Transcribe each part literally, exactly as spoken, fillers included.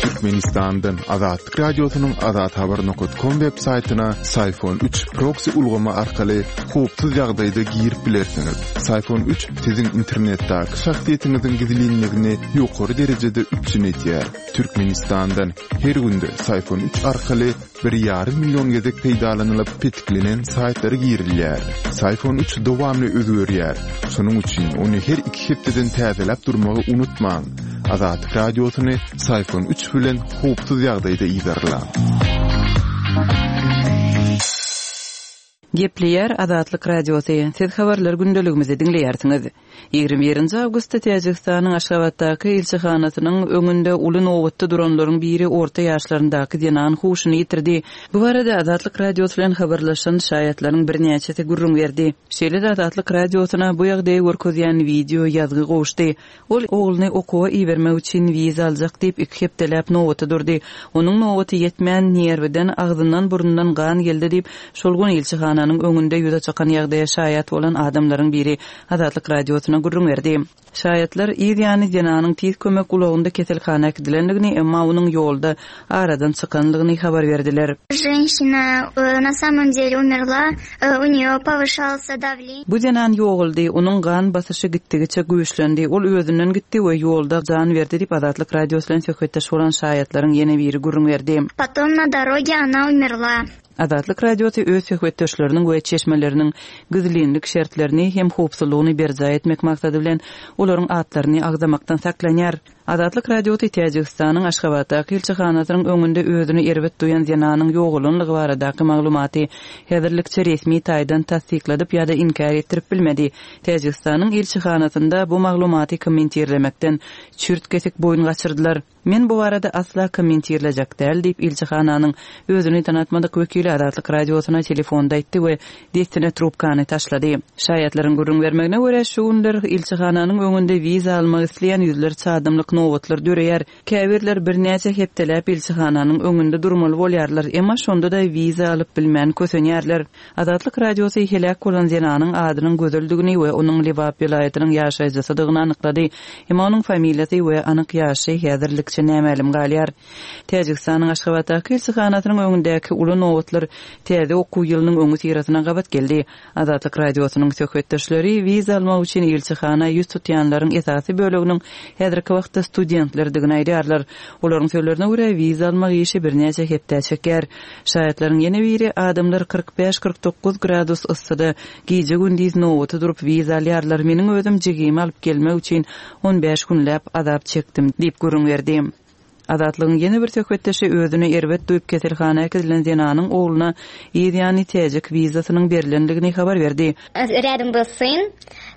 Türkmenistandan Azatlyk Radiosynyň azathabar nokat kom web saýtyna Syfon üç proksi ulgamy arkaly howpsuz ýagdaýda girip bilersiňiz. Syfon üç siziň internetdäki şahsyýetiňiziň gizlinligini ýokary derejede üpjün edýär. Türkmenistandan her günde Syfon üç arkaly bir ýarym million gezek peýdalanylyp petiklenen saýtlara girilýär. Syfon üç dowamly özgerýär. Şonuň üçin ony her iki hepdeden täzeläp durmagy unutmaň. Azatlyk Radiosyny Syfon üç bilen howpsuz ýagdaýda yzarlaň. Gepleýär Azatlyk Radiosy. Siz habarlar gündeligimizi diňleýärsiňiz. Ýigrimi birinji awgustda Täjigistanyň Aşgabatdaky ilçihanasynyň öňünde uly nobatda duranlaryň biri orta ýaşlaryndaky zenan huşuny ýitirdi. Bu barada Azatlyk Radiosy bilen habarlaşan şaýatlaryň birnäçesi gürrüň berdi. Şeýle-de Azatlyk Radiosyna bu ýagdaýy görkezýän wideo ýazgy gowuşdy. Ol ogluny okuwa ibermek üçin wiza aljak diýip iki hepdeläp nobata durdy. Onuň nobaty ýetmän nerwiden, agzyndan, burnundan gan geldi diýip, şol gün ilçihananyň öňünde ýüze çykan ýagdaýa şaýat bolan adamlaryň biri Azatlyk Radiosyna gürrüň berdi. Şaýatlar yz ýany zenanyň tiz kömek ulagynda keselhana äkidilendigini, emma onuň ýolda aradan çykandygyny habar berdiler. Женщина, э, на самом деле умерла, э, у нее повышался давление. Bu zenan ýogaldy, onuň gan basyşy gitdigiçe güýçlendi. Ol özünden gitdi we ýolda jan berdi diýip Azatlyk Radiosy bilen söhbetdeş bolan şaýatlaryň ýene biri gürrüň berdi. Потом на дороге она умерла. Azatlyk Radiosy öz söhbetdeşleriniň we çeşmeleriniň gizlinlik şertlerini hem howpsuzlygyny berjaý etmek maksady bilen olaryň atlaryny agzamakdan saklanýar. Azatlyk Radiosy Täjigistanyň Aşgabatdaky ilçihanasynyň öňünde özüni erbet duýan zenanyň ýogalanlygy baradaky maglumaty häzirlikçe resmi taýdan tassykladyp ýa-da inkär etdirip bilmedi. Täjigistanyň ilçihanasynda bu maglumaty kommentirlemekden çürt kesik boýun gaçyrdylar. Men bu barada asla kommentirlejek däl diýip ilçihananyň özüni tanatmadyk wekili Azatlyk Radiosyna telefonda aýtdy we dessine trubkany taşlady. Şaýatlaryň gürrüň bermegine görä şu günler ilçihananyň öňünde wiza almak isleýän ýüzlerçe adamlyk nobatlar döreýär. Käbirler birnäçe hepdeläp ilçihananyň öňünde durmaly bolýarlar, emma şonda da wiza alyp bilmän kösenýärler. Azatlyk Radiosy heläk bolan zenanyň adynyň gözeldigini we onuň Lebap welaýatynyň ýaşaýjysydygyny anyklady. Emma onuň familiýasy we anyk ýaşy häzirlikçe nämälim galýar. Täjigistanyň Aşgabatdaky ilçihanasynyň öňündäki uly nobatlar täze okuw ýylynyň öňi syrasyna gabat geldi. Azatlyk Radiosynyň söhbetdeşleri wiza almak üçin ilçihana ýüz tutýanlaryň esasy böleginiň häzirki wagtda studentlerdigini aýdýarlar. Olaryň sözlerine görä wiza almak işi birnäçe hepde çeker. Şaýatlaryň ýene biri adamlar kyrk bäş kyrk dokuz gradus yssyda gije gündiz nobata durup wiza alýarlar. Meniň özüm jigimi alyp gelmek üçin on bäş günläp azap çekdim diýip gürrüň berdi. Azatlygyň ýene bir söhbetdeşi özüni erbet duýup keselhana äkidilen zenanyň ogluna yz ýany täjik wizasynyň berilendigini habar berdi. Рядом был сын.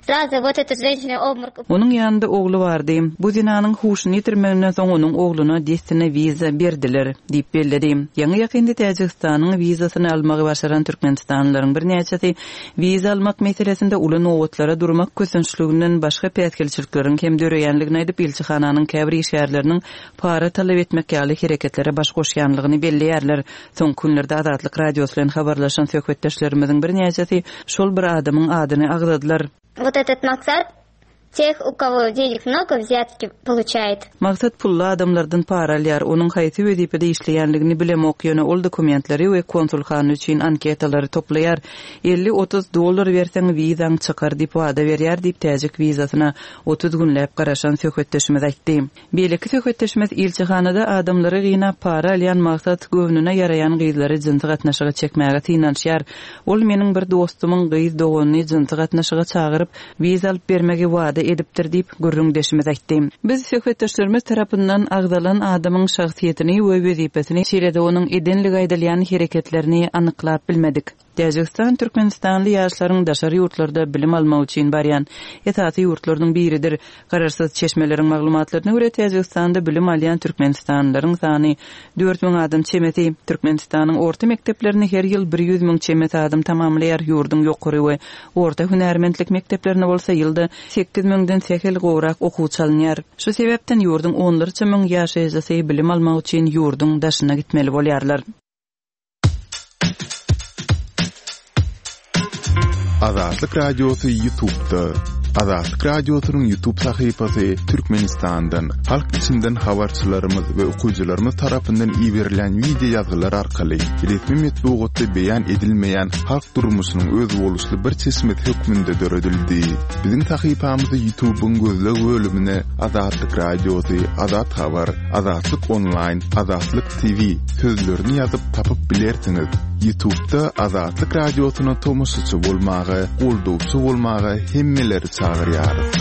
Сразу вот эта женщина обморок. Onuň ýanynda ogly bardy. Bu zenanyň huşuny ýitirmeginden soň onuň ogluna dessine wiza berdiler diýip belledi. Ýaňy ýakynda Täjigistanyň wizasyny almagy başaran Türkmenistanlylaryň birnäçesi wiza almak meselesinde uly nobatlara durmak kösençliginden başga päsgelçilikleriň hem döreýänligini aýdyp ilçihananyň käbir işgärleriniň para talap etmek ýaly hereketlere baş goşýanlygyny belleýärler. Soň günlerde Azatlyk Radiosy bilen habarlaşan söhbetdeşlerimiziň birnäçesi şol bir adamyň adyny agzadylar. Вот этот Maksat тех, у кого денег много, взятки получает. Maksat pully adamlardan para alýar. Onuň haýsy wezipede işleýänligini bilemok, ýöne ol dokumentleri we konsulhana üçin anketalary toplaýar. Elli otuz dollar berseň wizaň çykar diýip wada berýär diýip täjik wizasyna otuz günläp garaşan söhbetdeşimiz aýtdy. Beýleki söhbetdeşimiz ilçihanada adamlary gynap para alýan Maksat göwnüne ýaraýan gyzlary jynsy gatnaşyga çekmäge synanyşýar. Ol meniň bir dostumyň gyz doganyny jynsy gatnaşyga çagyryp wiza alyp bermegi wada edipdir diýip gürrüňdeşimiz aýtdy. Biz söhbetdeşlerimiz tarapyndan agzalan adamyň şahsyýetini we wezipesini, şeýle-de onuň edenligi aýdylýan hereketlerini anyklap bilmedik. Täjigistan Türkmenistanly ýaşlaryň daşary ýurtlarda bilim almak üçin barýan esasy ýurtlarynyň biridir. Garaşsyz çeşmeleriň maglumatlaryna görä Täjigistanda bilim alýan Türkmenistanlylaryň sany dört müň adam çemesi. Türkmenistanyň orta mekdeplerini her ýyl bir ýüz müň çemesi adam tamamlaýar. Ýurduň ýokary we orta hünärmentlik mekdeplerine bolsa ýylda sekiz müňden sähel gowrak okuwçy alynýar. Şu sebäpden ýurduň onlarça müň ýaşaýjysy bilim almak üçin ýurduň daşyna gitmeli bolýarlar. Azatlyk Radiosy YouTube'da. Azatlyk Radiosynyň YouTube sahypasy Türkmenistandan, halk içinden habarçylarymyz we okyjylarymyz tarapyndan iberilen wideo ýazgylar arkaly resmi metbugatda beýan edilmeýän halk durmuşynyň özboluşly bir çeşmesi hökmünde döredildi. Biziň sahypamyzy YouTube'yň gözleg bölümine Azatlyk Radiosy, Azat Habar, Azatlyk Online, Azatlyk T V sözlerini ýazyp tapyp bilersiňiz. YouTube'da Azatlyk Radiosyna tomaşaçy bolmaga, goldawçy bolmaga hemmeleri çagyrýarys.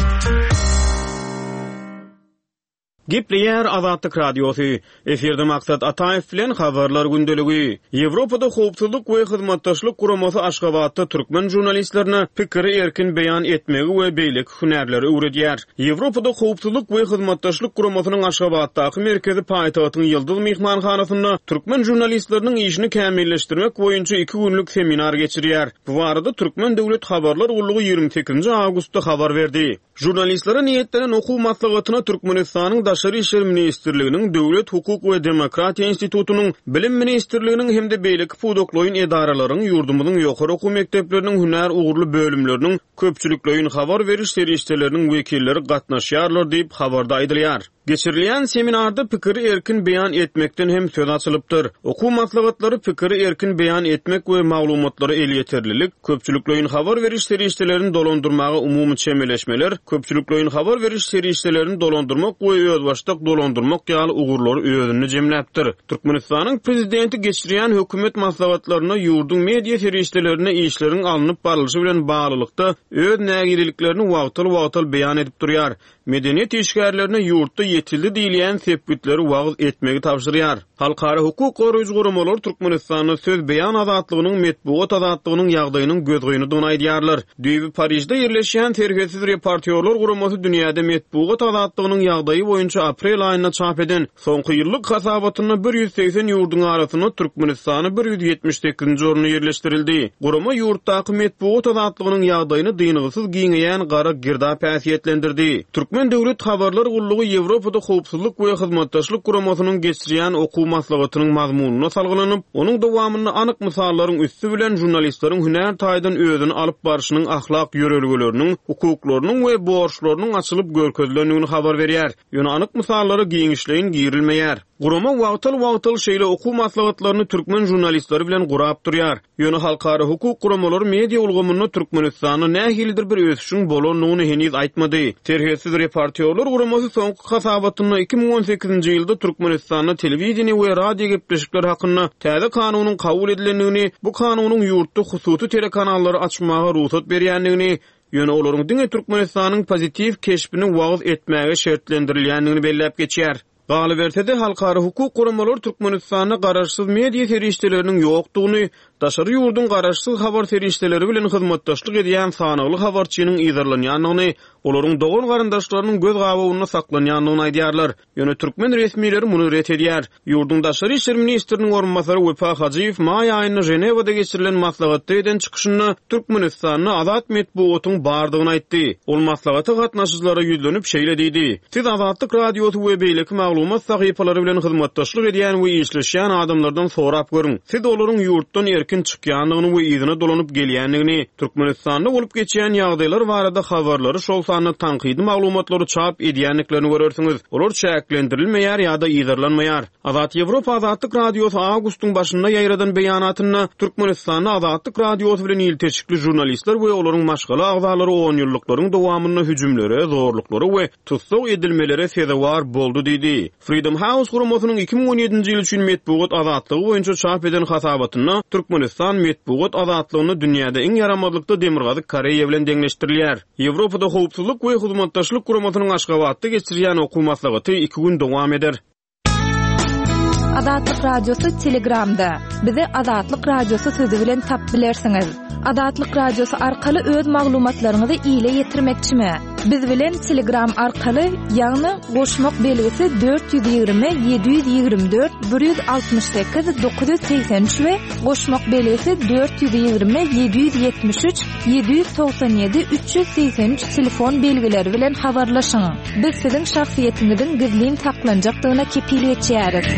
Gepleýär Azatlyk Radiosy. Efirde Maksat Ataýew bilen habarlar gündeligi. Ýewropada howpsuzlyk we hyzmatdaşlyk guramasy Aşgabatda türkmen žurnalistlerine pikiri erkin beýan etmegi we beýleki hünärleri öwredýär. Ýewropada howpsuzlyk we hyzmatdaşlyk guramasynyň Aşgabatdaky merkezi paýtagtyň Ýyldyz mehmanhanasynda türkmen žurnalistleriniň işini kämilleşdirmek boýunça iki günlük seminar geçirýär. Bu barada Türkmen Döwlet Habarlar Gullugy ýigrimi sekizinji awgustda habar berdi. Žurnalistlere niýetlenen okuw maslahatyna Türkmenistanyň Daşary İşler Ministrliginiň, Döwlet Hukuk we Demokratiýa Institutynyň, Bilim Ministrliginiň hem-de beýleki pudaklaýyn edaralaryň, ýurdumyzyň ýokary okuw mekdepleriniň hünär ugurly bölümleriniň köpçülikleýin habar beriş serişdeleriniň wekilleri gatnaşýarlar diýip habarda aýdylýar. Geçirilýän seminarda pikiri erkin beýan etmekden hem söz açylypdyr. Okuw maslahatlary pikiri erkin beýan etmek we maglumatlara elýeterlilik, köpçülikleýin habar beriş serişdelerini dolandyrmaga umumy çemeleşmeler, köpçülikleýin habar beriş serişdelerini dolandyrmak we özbaşdak dolandyrmak ýaly ugurlary özünde jemläpdir. Türkmenistanyň prezidenti geçirýän hökümet maslahatlaryna ýurduň media serişdelerine işleriň alnyp barlyşy bilen baglylykda öz nägileliklerini wagtal-wagtal beýan edip durýar. Medeniýet işgärlerine ýurtda ýetildi diýilýän sepgitleri wagyz etmegi tabşyrýar. Halkara hukuk goraýjy guramalar Türkmenistanda söz beýan azatlygynyň, metbugat azatlygynyň ýagdaýynyň gözgynydygyny aýdýarlar. Düýbi Parižde ýerleşýän Serhetsiz reportýorlar guramasy dünýäde metbugat azatlygynyň ýagdaýy boýunça aprel aýynda çap eden soňky ýyllyk hasabatynda bir ýüz segsen ýurduň arasynda Türkmenistany bir ýüz ýetmiş sekizinji orunda ýerleşdirildi. Gurama ýurtdaky metbugat azatlygynyň ýagdaýyny dyngysyz giňeýän gara girdap häsiýetlendirdi. Türkmen Döwlet Habarlar Gullugy Ýewropada howpsuzlyk we hyzmatdaşlyk guramasynyň geçirýän okuw maslahatynyň mazmunyna salgylanyp, onuň dowamynda anyk mysallaryň üsti bilen žurnalistleriň hünär taýdan özüni alyp barşynyň ahlak ýörelgeleriniň, hukuklarynyň we borçlarynyň açylyp görkezilendigini habar berýär. Ýöne anyk mysallara giňişleýin girilmeýär. Gurama wagtal-wagtal şeýle okuw maslahatlaryny türkmen žurnalistleri bilen gurap durýar. Ýöne halkara hukuk guramalary media ulgamynda Türkmenistanda nähilidir bir ösüşiň bolandygyny heniz aýtmady. Serhetsiz reportýorlar guramasy soňky hasabatynda iki müň on sekizinji ýylda Türkmenistanda telewideniýe we radio gepleşikler hakynda täze kanunyň kabul edilendigini, bu kanunyň ýurtda hususy telekanallary açmaga rugsat berýändigini, ýöne olaryň diňe Türkmenistanyň pozitiw keşbini wagyz etmäge şertlendirilýändigini belläp geçýär. Galyberse-de halkara hukuk guramalary Türkmenistanda garaşsyz media serişdeleriniň ýokdugyny, daşary ýurduň garaşsyz habar serişdeleri bilen hyzmatdaşlyk edýän sanagly habarçynyň yzarlanýandygyny, olaryň dogan garyndaşlarynyň göz gabawynda saklanýandygyny aýdýarlar. Ýöne türkmen resmileri muny ret edýär. Ýurduň Daşary İşler Ministriniň orunbasary Wepa Hajyýew maý aýynda Ženewada geçirilen maslahatda eden çykyşynda Türkmenistanda azat metbugatyň bardygyny aýtdy. Ol maslahata gatnaşyjylara ýüzlenip şeýle diýdi: Siz Azatlyk Radiosy we beýleki maglumat sahypalary bilen hyzmatdaşlyk edýän we işleşýän adamlardan sorap görüň. Siz olaryň ýurtdan erkin çykýandygyny we yzyna dolanyp gelýändigini, Türkmenistanda bolup geçýän ýagdaýlar barada habarlary, şol sanda tankydy maglumatlary çap edýändiklerini görersiňiz. Olar çäklendirilmeýär ýa-da yzarlanmaýar. Azat Ýewropa Azatlyk Radiosy awgustyň başynda ýaýradan beýanatynda Türkmenistanda Azatlyk Radiosy bilen ilteşikli žurnalistler we olaryň maşgala agzalary on ýyllyklaryň dowamynda hüjümlere, zorluklara we tussag edilmelere sezewar boldy diýdi. Freedom House guramasynyň iki müň on ýedinji ýyl üçin metbugat azatlygy boýunça çap eden hasabatynda Türkmenistan metbugat azatlygyny dünýäde iň ýaramazlykda Demirgazyk Koreýa bilen deňleşdirilýär. Ýewropada howpsuzlyk we hyzmatdaşlyk guramasynyň Aşgabatda geçirýän okuw maslahaty iki gün dowam eder. Azatlyk Radiosy Telegramda. Bizi Azatlyk Radiosy sözü bilen tap bilersiňiz. Azatlyk Radiosy arkaly öz maglumatlaryňyzy ile ýetirmekçimi? Biz bilen Telegram arkaly, ýagny goşmak belgisi dört ýüz ýigrimi, ýedi ýüz ýigrimi dört, bir ýüz altmyş sekiz, dokuz ýüz segsen üç we goşmak belgisi dört ýüz ýigrimi, ýedi ýüz ýetmiş üç, ýedi ýüz togsan ýedi, üç ýüz segsen üç telefon belgileri bilen habarlaşyň. Biz siziň şahsyýetiňiziň gizlin saklanjakdygyna kepil geçýäris.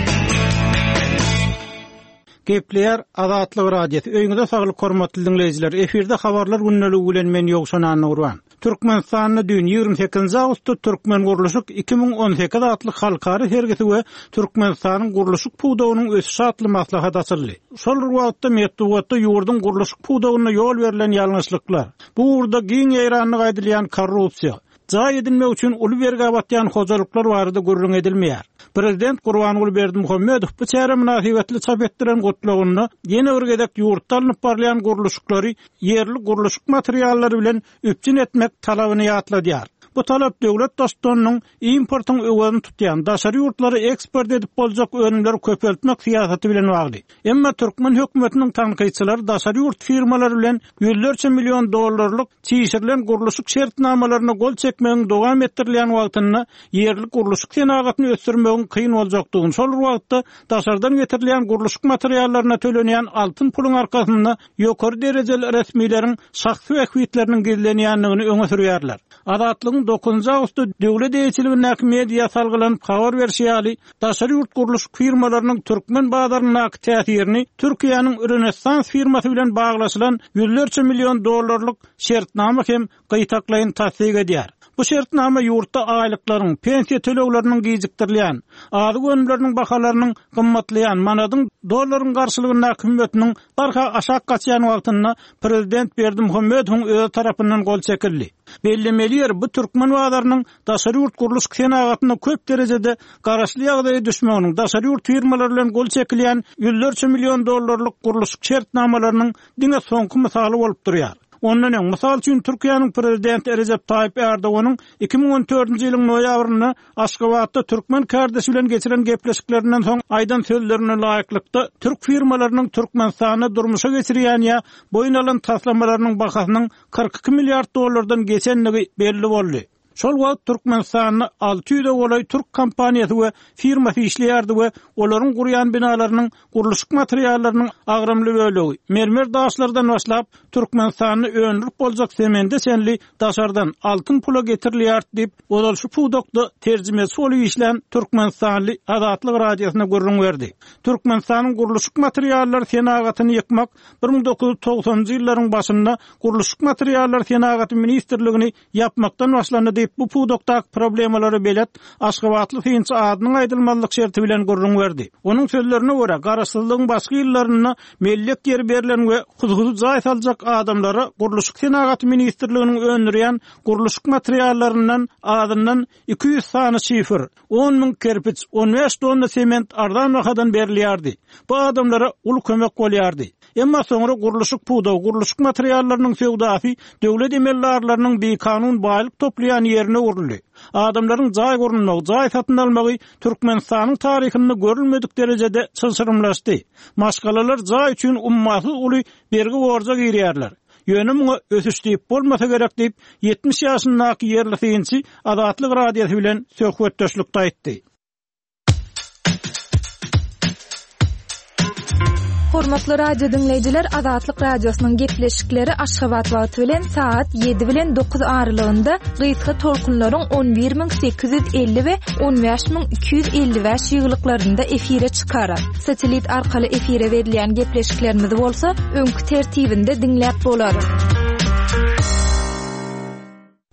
Gepleýär Azatlyk Radiosy. Öýüňize saglyk hormatly diňleýjiler. Efirde habarlar gündeligi bilen men Ýowşan Annagurban. Türkmenistanda düýn ýigrimi sekizinji awgustda Türkmengurluşyk iki müň on sekiz atly halkara sergisi we Türkmenistanyň gurluşyk pudagynyň ösüşi atly maslahat açyldy. Şol bir wagtda metbugatda ýurduň gurluşyk pudagynda ýol berlen ýalňyşlyklar, bu ugurda giň ýaýranlyk aýdylýan korrupsiýa, jaý edinmek üçin uly bergä batýan hojalyklar barada gürrüň edilmeýär. Prezident Gurbanguly Berdimuhamedow bu çäre mynasybetli çap etdiren gutlagynda ýene bir gezek ýurtda alnyp barylýan gurluşyklary ýerli gurluşyk materiallary bilen üpjün etmek talabyny ýatladýar. Bu talap döwlet baştutanynyň importyň öwezini tutýan daşary ýurtlara eksport edip boljak önümleri köpeltmek syýasaty bilen bagly. Emma türkmen hökümetiniň tankytçylary daşary ýurt firmalary bilen ýüzlerçe million dollarlyk çişirilen gurluşyk şertnamalaryna gol çekmegiň dowam etdirilýän wagtynda ýerli gurluşyk senagatyny ösdürmegiň kyn boljakdygyny, şol bir wagtda daşardan getirilýän gurluşyk materiallaryna tölenýän altyn puluň arkasynda ýokary derejeli resmileriň şahsy bähbitleriniň gizlenýändigini öňe sürýärler. Azatlygyň dokuzynjy awgustda döwlet eýeçiligindäki media salgylanyp habar berşi ýaly, daşary ýurt gurluşyk firmalarynyň türkmen bazaryndaky täsirini Türkiýäniň Rönesans firmasy bilen baglaşylan ýüzlerçe million dollarlyk şertnama hem gytaklaýyn tassyk edýär. Bu şertnama ýurtda aýlyklaryň, pensiýa tölegleriniň gijikdirilýän, azyk önümleriniň bahalarynyň gymmatlaýan, manadyň dollaryň garşylygyndaky hümmetiniň barha aşak gaçýan wagtynda prezident Berdimuhamedowyň öz tarapyndan gol çekildi. Bellemeli ýer bu türkmen bazarynyň daşary ýurt gurluşyk senagatyna köp derejede garaşly ýagdaýa düşmeginiň, daşary ýurt firmalary bilen gol çekilýän ýüzlerçe million dollarlyk gurluşyk şertnamalarynyň diňe soňky mysaly bolup durýar. Ondan öň, mysal üçin, Türkiýäniň prezidenti Recep Tayyip Erdoganyň iki müň on dördünji ýylyň noýabrynda Aşgabatda türkmen kardeşi bilen geçiren gepleşiklerinden soň aýdan sözlerine laýyklykda türk firmalarynyň Türkmenistanda durmuşa geçirýän ýa boýun alan taslamalarynyň bahasynyň kyrk iki milliard dollardan geçendigi belli boldy. Şol wagt Türkmenistanda alty ýüze golaý türk kompaniýasy we firmasy işleýärdi we olaryň gurýan binalarynyň gurluşyk materiallarynyň agramly bölegi mermer daşlardan başlap Türkmenistanda öndürip boljak semende çenli daşardan altyn pula getirilýär diýip, ozal şu pudakda terjimesi bolup işlän Türkmenistanly Azatlyk radiosyna gürrüň berdi. Türkmenistanyň gurluşyk materiallary senagatyny ýykmak bir müň dokuz ýüz togsanjy ýyllaryň başynda Gurluşyk materiallary senagaty ministrligini ýapmakdan başlandy diýip, bu pudakdaky problemalara belet Aşgabatly synçy adynyň aýdylmazlyk şerti bilen gürrüň berdi. Onuň sözlerine görä, garaşsyzlygyň başky ýyllarynda mellek ýeri berlen we hususy jaý saljak adamlara Gurluşyk senagaty ministrliginiň öndürýän gurluşyk materiallaryndan azyndan iki ýüz sany şifr, on müň kerpiç, on bäş tonna sement arzan bahadan berilýärdi. Bu adamlara uly kömek bolýardy. Emma soňra gurluşyk pudagy, gurluşyk materiallarynyň söwdasy döwlet emeldarlarynyň bikanun baýlyk toplaýan ýerine öwrüldi. Adamlaryň jaý gurulmagy, jaý satyn almagy Türkmenistanyň taryhynda görülmedik derejede çylşyrymlaşdy. Maşgalalar jaý üçin ummasyz uly bergi borja girýärler. Ýöne muňa ösüş diýip bolmasa gerek diýip, ýetmiş ýaşyndaky ýerli synçy Azatlyk radiosy bilen söhbetdeşlikde aýtdy. Hormatly radio dinleýjiler, Azatlyk radiosynyň gepleşikleri Aşgabat wagty bilen saat ýedi bilen dokuz aralygynda gysga tolkunlaryň on bir müň sekiz ýüz elli we on bäş müň iki ýüz elli bäş ýyglyklarynda efire çykar. Satelit arkaly efire berilýän gepleşiklerimiz bolsa öňkü tertibinde dinläp bolar.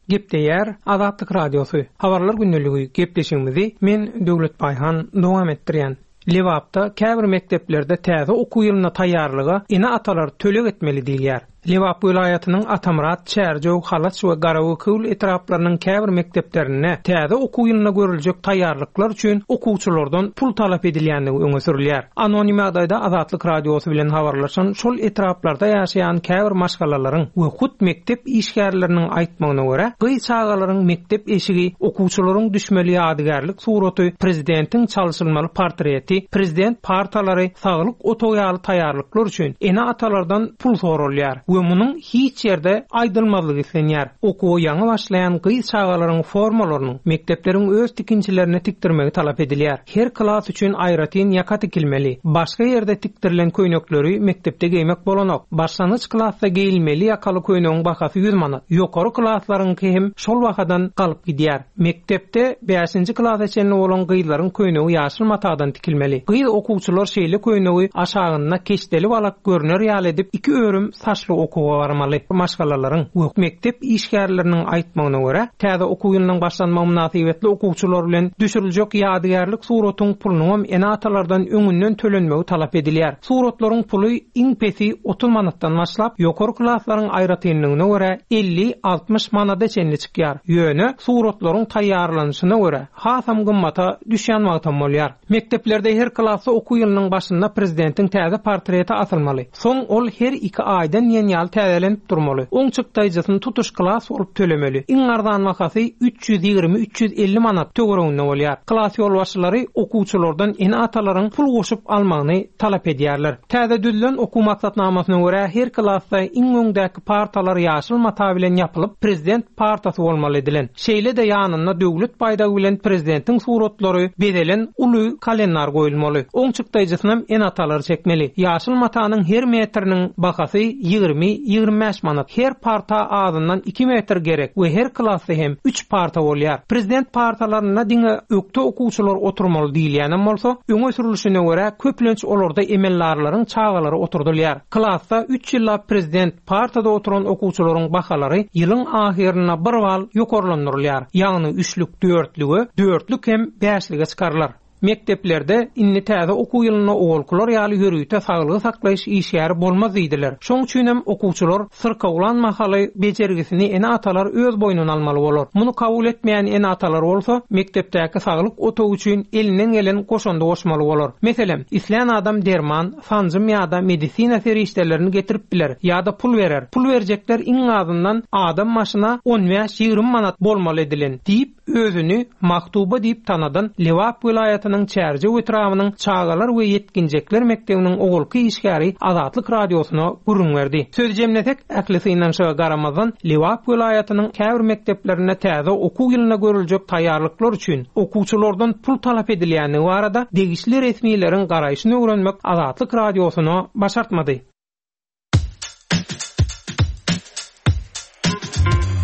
Gepleýär Azatlyk radiosy. Habarlar gündeligi gepleşigimizi men Döwlet Baýhan dowam etdirýän. Lebapda käbir mekdeplerde täze okuw ýylyna taýýarlyga ene-atalar töleg etmeli diýilýär. Lebap welaýatynyň Atamyrat, Çärjew, Halaç we Garagökül etraplarynyň käbir mekdeplerinde täze okuw ýylyna görüljek taýýarlyklar üçin okuwçylardan pul talap edilýändigi öňe sürülýär. Anonim ýagdaýda Azatlyk radiosy bilen habarlaşan şol etraplarda ýaşaýan käbir maşgalalaryň we hut mekdep işgärleriniň aýtmagyna görä, gyz çagalaryň mekdep eşigi, okuwçylaryň düşmeli ýadygärlik suraty, prezidentiň çalşylmaly portreti, prezident partalary, saglyk otagy ýaly taýýarlyklar üçin ene-atalardan pul sorulýar we munuň hiç ýerde aýdylmazlygy islenýär. Okuwa ýaňy başlaýan gyz çagalaryň formalarynyň mekdepleriň öz tikinçilerine tikdirmegi talap edilýär. Her klas üçin aýratyn ýaka tikilmeli. Başga ýerde tikdirilen köýnekleri mekdepde geýmek bolanok. Başlangyç klasda geýilmeli ýakaly köýnegiň bahasy ýüz manat. Ýokary klaslaryňky hem şol bahadan galyp gidýär. Mekdepde bäşinji klasa çenli bolan gyzlaryň köýnegi ýaşyl matadan tikilmeli. Gyz okuwçylar şeýle köýnegi aşagynda keşdeli balak görner ýaly edip iki örüm saçly okuwa barmaly. Maşgalalaryň we mekdep işgärleriniň aýtmagyna görä, täze okuw ýylynyň başlanmagy mynasybetli okuwçylar bilen düşüriljek ýadygärlik suratyň pulunyň ene-atalardan öňünden tölenmegi talap edilýär. Suratlaryň puly iň pesi otuz manatdan başlap, ýokary klaslaryň aýratynlygyna görä elli altmyş manada çenli çykýar. Ýöne suratlaryň taýýarlanyşyna görä hasam gymmata düşýän wagtam bolýar. Mekdeplerde her klasda okuw ýylynyň başynda prezidentiň täze portreti asylmaly. Soň ol her iki aýdan diýen ýaly täzelenip durmaly. Oň çykdaýjysyny tutuş klas bolup tölemeli. Iň arzan bahasy üç ýüz ýigrimi üç ýüz elli manat töwereginde bolýar. Klas ýolbaşçylary okuwçylardan ene-atalaryň pul goşup almagyny talap edýärler. Täze düzülen okuw maksatnamasyna görä her klasda iň öňdäki partalar ýaşyl mata bilen ýapylyp, prezident partasy bolmaly edilen. Şeýle-de ýanynda döwlet baýdagy bilen prezidentiň suratlary bezelen uly kalendar goýulmaly. Oň çykdaýjysynam ene-atalar çekmeli. Ýaşyl matanyň her metriniň bahasy ýigrimi ýigrimi bäş manat. Her parta azyndan iki metr gerek we her klasda hem üç parta bolýar. Prezident partalarynda diňe ökde okuwçylar oturmaly diýilýänem bolsa, öňe sürülişine görä köplenç olarda emeldarlaryň çagalary oturdylýar. Klasda üç ýyllap prezident partada oturan okuwçylaryň bahalary ýylyň ahyrynda bir bal ýokarlandyrylýar. Ýagny üçlük dörtlüge, dörtlük hem bäşlige çykarlar. Mekdeplerde indi täze okuw ýylynda owalkylar ýaly ýörite saglygy saklaýyş işgäri bolmaz diýdiler. Şoň üçin hem okuwçylar syrkawlan mahaly bejergisini ene-atalar öz boýnuna almaly bolar. Muny kabul etmeýän ene-atalar bolsa mekdepdäki saglyk otagy üçin elinden gelen goşundy goşmaly bolar. Meselem, islän adam derman, sanjym ýa-da medisina serişdelerini getirip biler ýa-da pul berer. Pul berjekler iň azyndan adam başyna on bäş ýigrimi manat bolmaly edilen diýip özüni Maktuba diýip tanadan Lebap welaýatynyň Çärjew etrabynyň Çagalar we ýetginjekler mekdebiniň ogulky işgäri Azatlyk radiosyna gürrüň berdi. Söz jemlesek, ähli synanyşyga garamazdan Lebap welaýatynyň käbir mekdeplerinde täze okuw ýylyna görüljek taýýarlyklar üçin okuwçylardan pul talap edilýändigi barada degişli resmileriň garaýşyny öwrenmek Azatlyk radiosyna başartmady.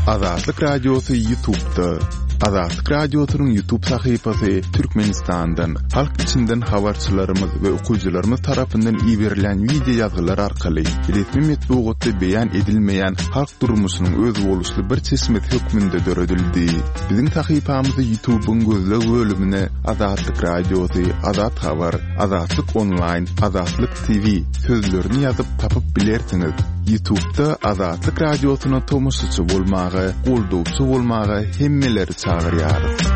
Azatlyk Radiosy YouTube'da. Azatlyk Radiosynyň YouTube sahypasy Türkmenistandan, halk içinden habarçylarymyz we okyjylarymyz tarapyndan iberilen video ýazgylar arkaly resmi metbugatda beýan edilmeýän halk durmuşynyň özboluşly bir çeşmesi hökmünde döredildi. Biziň sahypamyzy YouTube'yň gözleg bölümine Azatlyk Radiosy, Azat Habar, Azatlyk Online, Azatlyk T V sözlerini ýazyp tapyp bilersiňiz. YouTube'da Azatlyk Radiosyna tomaşaçy bolmaga, goldawçy bolmaga hemmeleri çagyrýarys.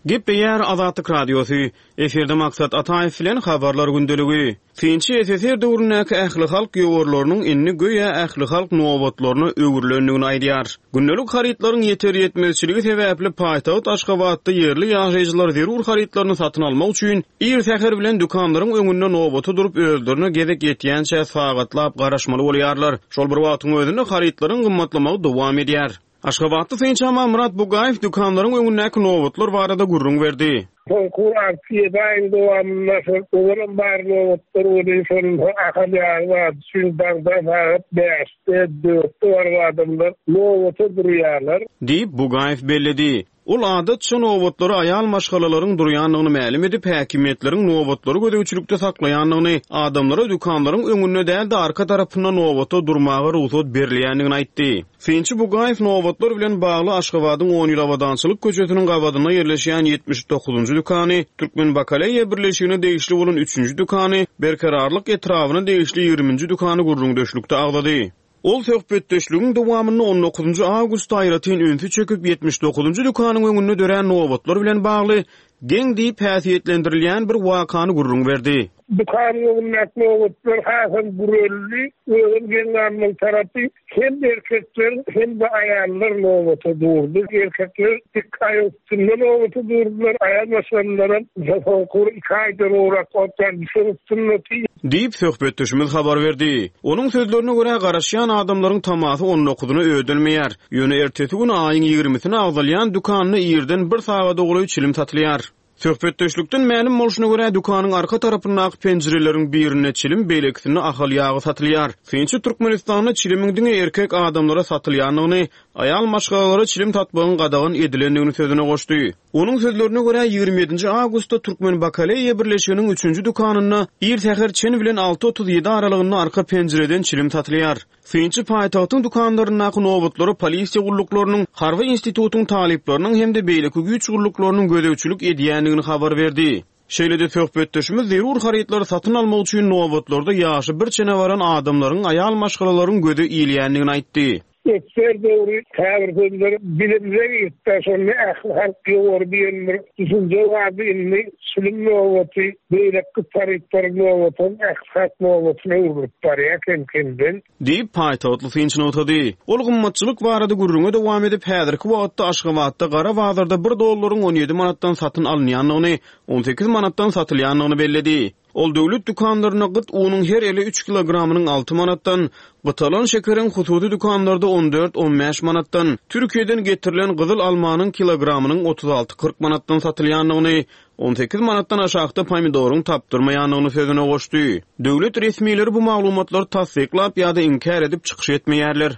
Gepleýär Azatlyk Radiosy. Efirde Maksat Ataýew bilen habarlar gündeligi. Synçy S S R döwründäki ähli halk ýowarlarynyň indi göýä ähli halk nobatlaryna öwrülendigini aýdýar. Gündelik harytlaryň ýeter ýetmezçiligi sebäpli paýtagt Aşgabatda ýerli ýaşaýjylar zerur harytlaryny satyn almak üçin ir säher bilen dükanlaryň öňünde nobata durup özlerine gezek ýetýänçä sagatlap garaşmaly bolýarlar. Şol bir wagtyň özünde harytlaryň gymmatlamagy dowam edýär. Aşgabatda synçy Amanmyrat Bugaýew dükanlaryň öňündäki nobatlar barada gürrüň berdi. Soňky altı ýedi aýyň dowamynda şol owalam bar nobatlar boldy, şol ahal ýagy bar, çünki daňda sagat bäşde, dörtde baryp adamlar nobata durýarlar. Diýip Bugaýew belledi. Ol adatça nobatlary aýal maşgalalaryň durýandygyny mälim edip, häkimiýetleriň nobatlary gözegçilikde saklaýandygyny, adamlara dükanlaryň öňünde däl-de arka tarapynda nobata durmaga rugsat berilýändigini aýtdy. Synçy Bugaýew nobatlar bilen bagly Aşgabadyň on ýyl abadançylyk köçesiniň gabadynda ýerleşýän ýetmiş dokuzynjy dükany, Türkmen Bakaleýa birleşigine degişli bolan üçünji dükany, Berkararlyk etrabyna degişli ýigriminji dükany gürrüňdeşlikde agzady. Ol söhbetdeşligiň dowamynda on dokuzynjy awgustda aýratyn ünsi çekip ýetmiş dokuzynjy dükanyň öňünde dörän nobatlar bilen bagly geň diýip häsiýetlendirilýän bir wakany gürrüň berdi. Dükanyň öňündäki nobatlar hasam güreldi, özüm geň galmaly tarapy hem erkekler hem de aýallar nobata durdy. Erkekler dik aýak üstünde nobata durdular, aýal maşgalalaram soňky iki aýdan owrak otdan düşen üstünde diýip söhbetdeşimiz habar berdi. Onuň sözlerine görä garaşýan adamlaryň tamasy on dokuzyna ödelmeýär. Ýöne ertesi gün aýyň ýigrimisine agzalýan dükanyna irden bir sagada golaý çilim satylýar. Söhbetdeşlikden mälim bolşuna görä dükanyň arka tarapyndaky penjireleriň birinde çilim, beýlekisinde ahal ýagy satylýar. Synçy Türkmenistanda çilimiň diňe erkek adamlara satylýandygyny, aýal maşgalalara çilim satmagyň gadagan edilendigini sözüne goşdy. Onuň sözlerine görä ýigrimi ýedinji awgustda Türkmen Bakaleýa birleşiginiň üçünji dükanynda ir säher çen bilen alty otuz ýedi aralygynda arka penjireden çilim satylýar. Synçy paýtagtyň dükanlaryndaky nobatlara polisiýa gulluklarynyň, harby institutyň talyplarynyň hem-de beýleki güýç gulluklarynyň gözegçilik edýändigini habar berdi. Şeýle-de söhbetdeşimiz zerur harytlary satyn almak üçin nobatlarda ýaşy bir çene baran adamlaryň, aýal maşgalalaryň göze ilýändigini aýtdy. Ötser döwri käbir sözler bilimze gitdi, şonda ähli halk ýowar diýen bir düşünje bardy, indi çilim nobaty, beýleki harytlar nobaty, ähli halk nobatyna öwrülip barýar kem-kemden. Diýip paýtagtly synçy nygtady. Ol gymmatçylyk barada gürrüňe dowam edip, häzirki wagtda Aşgabatda gara bazarda bir dollaryň on ýedi manatdan satyn alynýandygyny, on sekiz manatdan satylýandygyny belledi. Ol döwlet dükanlarynda gyt unuň her eli üç kilogramynyň alty manatdan, gytalan şekeriň hususy dükanlarda on dört on bäş manatdan, Türkiýeden getirilen gyzyl almanyň kilogramynyň otuz alty kyrk manatdan satylýandygyny, on sekiz manatdan aşakda pomidoryň tapdyrmaýandygyny sözüne goşdy. Döwlet resmileri bu maglumatlary tassyklap ýa-da inkär edip çykyş etmeýärler.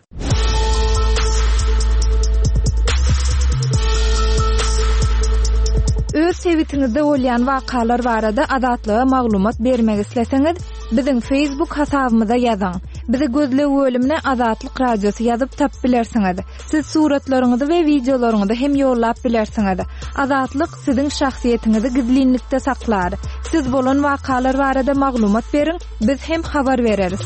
Öz sebitiňizde bolýan wakalar barada Azatlyga maglumat bermek isleseňiz, biziň Facebook hasabymyza ýazyň. Bizi gözleg bölümine Azatlyk Radiosy ýazyp tap bilersiňiz. Siz suratlaryňyzy we wideolaryňyzy hem ýollap bilersiňiz. Azatlyk siziň şahsyýetiňizi gizlinlikde saklar. Siz bolan wakalar barada maglumat beriň, biz hem habar bereris.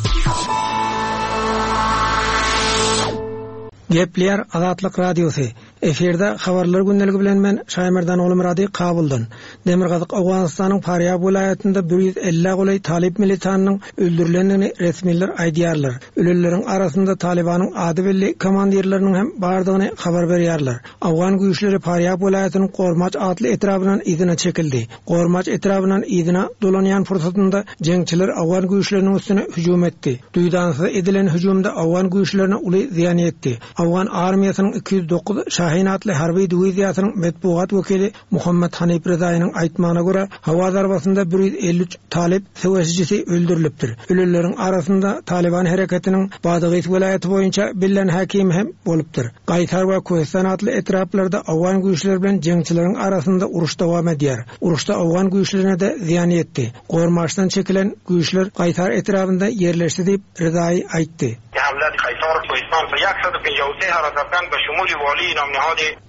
Gepler Azatlyk Radiosy. Efirde habarlar gündeligi bilen men Şaýmerdan Oglumyrady Kabuldan. Demirgazyk Owganystanyň Farýab welaýatynda bir ýüz elli golaý Talip militanynyň öldürilendigini resmiler aýdýarlar. Ölüleriň arasynda Talibanyň ady belli komandirleriniň hem bardygyny habar berýärler. Awgan güýçleri Farýab welaýatynyň Gormaç atly etrabyndan yzyna çekildi. Gormaç etrabyndan yzyna dolanýan pursatynda jeňçiler Awgan güýçleriniň üstüne hüjüm etdi. Duýdansyz edilen hüjümde Awgan güýçlerine uly zyýan ýetdi. Awgan armiýasynyň iki ýüz dokuz Şahin atly harby diwiziýasynyň metbugat wekili Muhammed Hanif Rezaýynyň aýtmagyna görä, hawa zarbasynda bir ýüz elli üç Talip söweşijisi öldürilipdir. Ölüleriň arasynda Taliban hereketiniň Badagys welaýaty boýunça billen hakim hem bolupdyr. Gaýtar we Köhistan atly etraplarda Awgan güýçleri bilen jeňçileriň arasynda uruş dowam edýär. Uruşda Awgan güýçlerine de zyýan ýetdi. Gormaçdan çekilen güýçler Gaýtar etrabynda ýerleşdi diýip Rezaý aýtdy.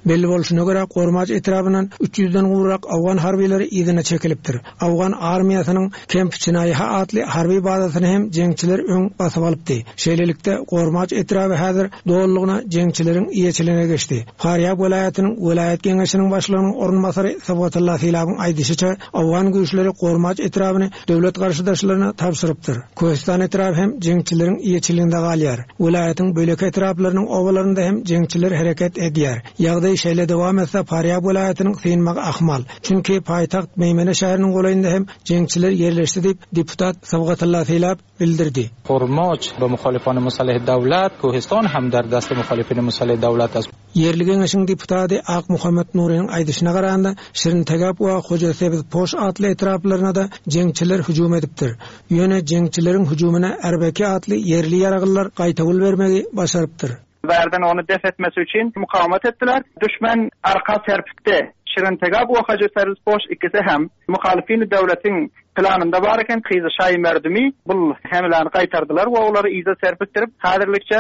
Belli bolşuna görä Gormaç etrabyndan üç ýüzden gowrak Awgan harbileri yzyna çekilipdir. Awgan armiýasynyň Kemp Çinaýha atly harby bazasyny hem jeňçiler öň basyp alypdy. Şeýlelikde Gormaç etraby häzir dolulygyna jeňçileriň eýeçiligine geçdi. Farýab welaýatynyň welaýat geňeşiniň başlygynyň orunbasary Sawatullah Silabyň aýdyşyça Awgan güýçleri Gormaç etrabyny döwlet garşydaşlaryna tabşyrypdyr. Köhistan etraby hem jeňçileriň eýeçiliginde galýar. Welaýatyň bölek etraplarynyň obalarynda hem jeňçiler hereket edýär. Ýagdaý şeýle dowam etse Farýab welaýatynyň synmagy ahmal. Çünki paýtagt Meýmene şäheriniň golaýynda hem jeňçiler ýerleşdi diýip deputat Sawatullah Silab bildirdi. Gormaç be muhalifan musalih dawlat, Köhistan hem der dast muhalifin musalih dawlat as. Ýerli geňeşiň deputaty Ak Muhammed Nurynyň aýdyşyna garanda Şirin Tegap we Hoja Sebiz Poş atly etraplaryna da jeňçiler hüjüm edipdir. Ýöne jeňçileriň hüjümine Erbeki atly ýerli ýaraglylar gaýtawul bermegi başarypdyr. Berden onu def etmesi için mukavemet ettiler. Düşman arka serpikti. Şirin Tegap we Hoja Sebiz Poş ikisi hem muhalifin döwletin planında var eken Kıyı Şahi Merdumi bul hemlerini qaytardılar ve onları iza serpiktirip häzirlikçe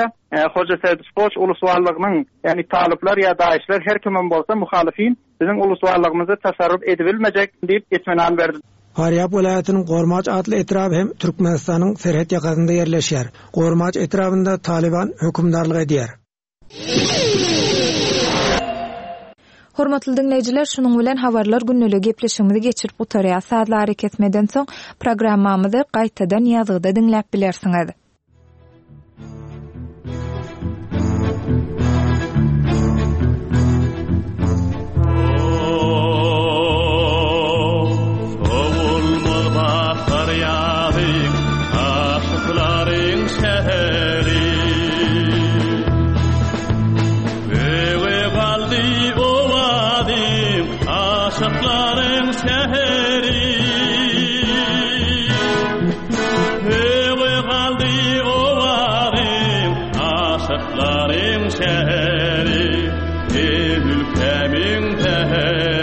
Hoja Sebiz Poş ulusvarlığının yani talyplar ya daişler her kimin bolsa muhalifin bizim ulusvarlığımızı tasarruf edibilmeyecek deyip itminan berdi. Farýab welaýatynyň Gormaç atly etraby hem Türkmenistanyň serhet ýakasynda ýerleşýär. Gormaç etrabynda Taliban hökümdarlyk edýär. Hormatly dinleýjiler, şunuň bilen habarlar günlügi gepleşigimizi geçirip gutarýar. Sazlary kesmeden soň programmamyzy gaýtadan ýazgyda diňläp bilersiňiz. Aşıkların şäheri. Öňe galdy owazyň, aşyklaryň şäheri, Ey ülkämiň säheri.